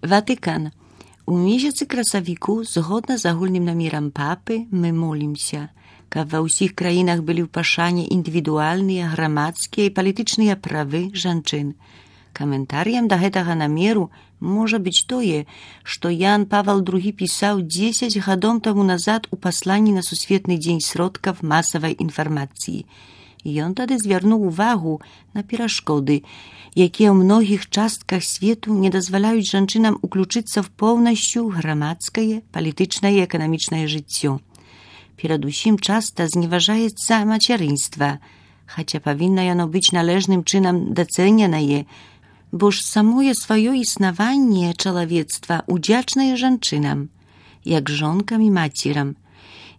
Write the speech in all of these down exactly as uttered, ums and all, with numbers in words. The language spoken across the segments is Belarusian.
Ватыкан. У месяцы красавіку, згодна з агульным намерам папы, мы молімся, каб ва ўсіх краінах былі ў пашане індывідуальныя, грамадскія і палітычныя правы жанчын. Каментарыем да гэтага намеру можа быць тое, што Ян Павел другі пісаў дзесяць гадоў таму назад у пасланні на Сусветны дзень сродкаў масавай інфармацыі. Ён тады звярнуў увагу на перашкоды, якія ў многіх частках свету не дазваляюць жанчынам уключыцца в поўнасцю грамадскае, палітычнае і эканамічнае жыццё. Перадусім часта зневажаецца мацярынства, хаця павінна яно быць належным чынам дацэненае, бо ж самое сваё існаванне чалавецтва удзячнае жанчынам, як жонкам і мацерам.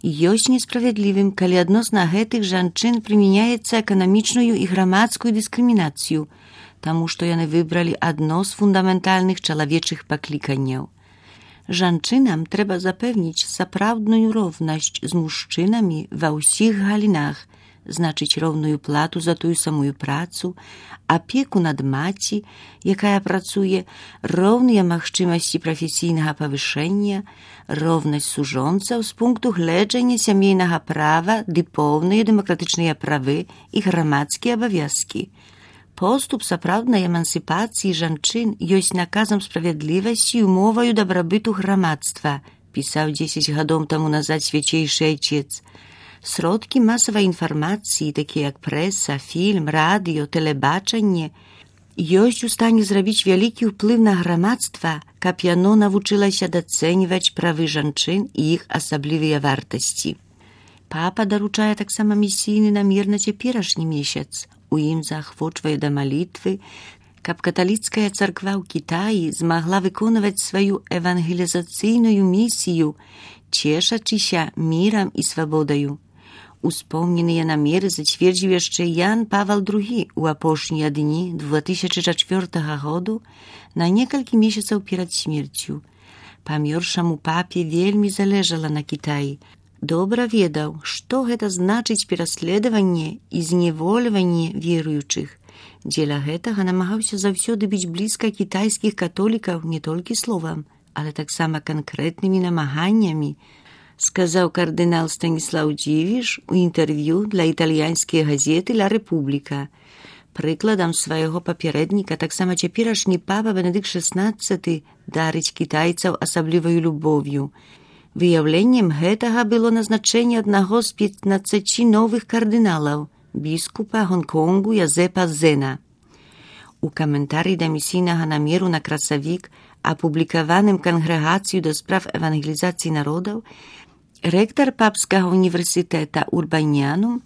Ёсць несправядлівым, калі адносна гэтых жанчын прымяняецца эканамічную і грамадскую дыскрымінацыю, таму што яны выбралі адно з фундаментальных чалавечых пакліканняў. Жанчынам трэба запэўніць сапраўдную роўнасць з мужчынамі ва ўсіх галінах, значыць роўную плату за тую самую працу, апеку над маці, якая працуе, роўныя магчымасці прафесійнага павышэння, роўнасць сужонцаў з пункту гледжання сямейнага права ды поўныя дэмакратычныя правы і грамадскія абавязкі. Поступ сапраўднай эмансіпацыі жанчын ёсць наказам справядлівасці і умоваю дабрабыту грамадства, пісаў дзесяць гадоў таму назад свяцейшы айчец. Сродкі масавай інфармацыі, такія як прэса, фільм, радыё, тэлебачанне, ёсць у стане зрабіць вялікі ўплыў на грамадства, каб яно навучылася дацэньваць правы жанчын і іх асаблівыя вартасці. Папа даручае таксама місійны намер на цяперашні месяц. У ім заахвочвае да малітвы, каб каталіцкая царква ў Кітаі змагла выконваць сваю евангелізацыйную місію, цешачыся мірам і свабодаю. Успомненыя намеры зацвердзіў яшчэ Ян Павел другі ў апошнія дні две тысячы чацвёртага году на некалькі месяцаў перад смерцю. Памёршаму папе вельмі залежала на Кітаі. Добра ведаў, што гэта значыць пераследаванне і зневольванне веруючых. Дзеля гэтага намагаўся заўсёды быць блізка кітайскіх католікаў не толькі словам, але таксама канкрэтнымі намаганнямі, сказаў кардынал Станіслаў Дзівіш у інтэрв'ю для італьянскай газеты «Ла Рэпубліка». Прыкладам свайго папярэдніка таксама цяперашні папа Бенедыкт шаснаццаты дарыць кітайцаў асабліваю любоўю. Выяўленнем гэтага было назначэнне аднаго з пятнаццаці новых кардыналаў, біскупа Гонконгу Язэпа Зена. У каментарыі да місійнага намеру на красавік, апублікаваным кангрэгацыю да справ евангелізацыі народаў, рэктар папскага універсітэта Урбанянум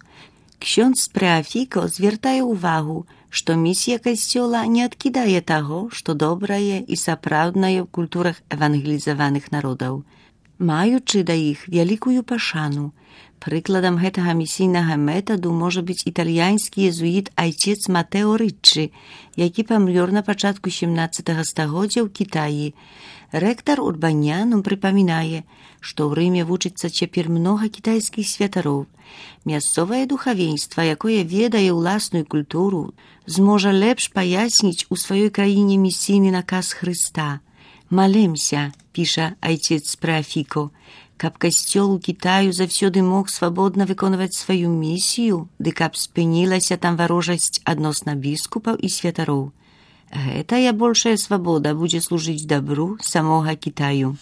ксёндз Спрэафіко звяртае ўвагу, што місія касцёла не адкідае таго, што добрае і сапраўднае ў культурах евангелізаваных народаў, маючы да іх вялікую пашану. Прыкладам гэтага місійнага метаду можа быць італьянскі езуіт айчец Матэо Рыччы, які памёр на пачатку сямнаццатага стагоддзя ў Кітаі. Рэктар Урбанянум прыпамінае, што ў Рыме вучыцца цяпер многа кітайскіх святароў. Мясцовае духавенства, якое ведае ўласную культуру, зможа лепш паясніць у сваёй краіне місійны наказ Хрыста. «Малемся», піша айцец Спрэафіко, каб касцёл у Кітаю заўсёды мог свабодна выконваць сваю місію, ды каб спынілася там варожасць адносна біскупаў і святароў. Гэтая большая свабода будзе служыць дабру самога Кітаю.